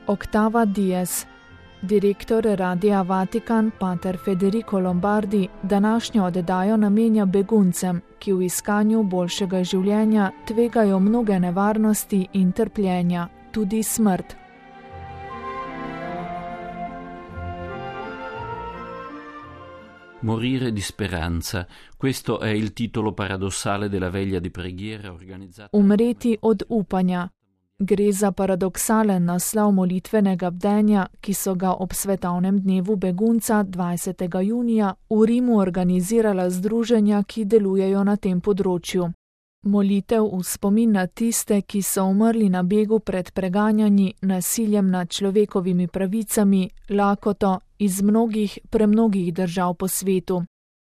Octava Diez, direktor Radia Vatikan, pater Federico Lombardi, današnjo oddajo namenja beguncem, ki v iskanju boljšega življenja tvegajo mnoge nevarnosti in trpljenja, tudi smrt. Morire di speranza, questo è il titolo paradossale della veglia di preghiera organizzata. Umreti od upanja. Gre za paradoksalen naslov molitvenega bdenja, ki so ga ob svetovnem dnevu begunca 20. junija v Rimu organizirala združenja, ki delujejo na tem področju. Molitev v spomin na tiste, ki so umrli na begu pred preganjanji, nasiljem nad človekovimi pravicami, lakoto iz premnogih držav po svetu.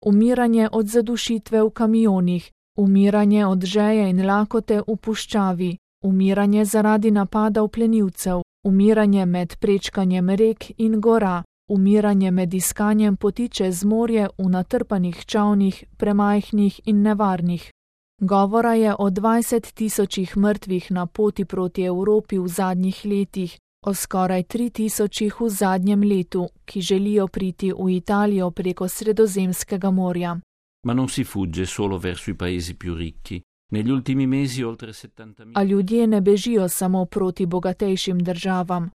Umiranje od zadušitve v kamionih, umiranje od žeje in lakote v puščavi, umiranje zaradi napadov plenilcev, umiranje med prečkanjem rek in gora, umiranje med iskanjem poti čez morje v natrpanih čavnih, premajhnih in nevarnih. Govora je o 20 tisočih mrtvih na poti proti Evropi v zadnjih letih, o skoraj 3 tisočih v zadnjem letu, ki želijo priti v Italijo preko Sredozemskega morja. Ma non si fugge solo verso i paesi più ricchi. Negli ultimi mesi oltre 70.000. A ljudje ne bežijo samo proti bogatejšim državam.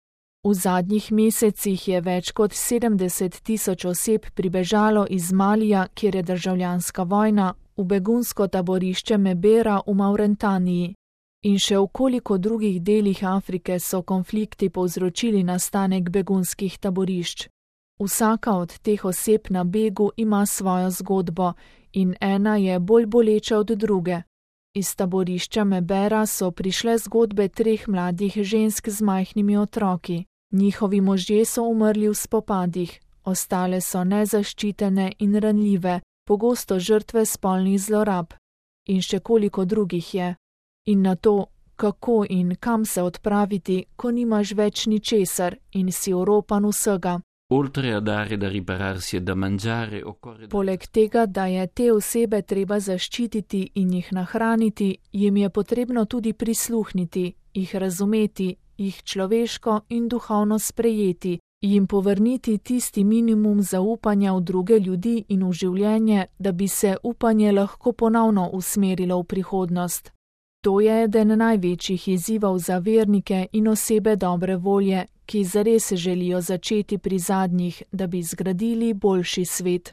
V zadnjih mesecih je več kot 70 tisoč oseb pribežalo iz Malija, kjer je državljanska vojna, v begunsko taborišče Mebera v Mauretaniji. In še v koliko drugih delih Afrike so konflikti povzročili nastanek begunskih taborišč. Vsaka od teh oseb na begu ima svojo zgodbo in ena je bolj boleča od druge. Iz taborišča Mebera so prišle zgodbe 3 mladih žensk z majhnimi otroki. Njihovi možje so umrli v spopadih, ostale so nezaščitene in ranljive, pogosto žrtve spolnih zlorab. In še koliko drugih je. In na to, kako in kam se odpraviti, ko nimaš več ničesar in si oropan vsega. Oltre a dare da ripararsi e da mangiare, occorre. Poleg tega, da je te osebe treba zaščititi in jih nahraniti, jim je potrebno tudi prisluhniti, jih razumeti, jih človeško in duhovno sprejeti, jim povrniti tisti minimum zaupanja v druge ljudi in v življenje, da bi se upanje lahko ponovno usmerilo v prihodnost. To je eden največjih izzivov za vernike in osebe dobre volje, ki zares želijo začeti pri zadnjih, da bi zgradili boljši svet.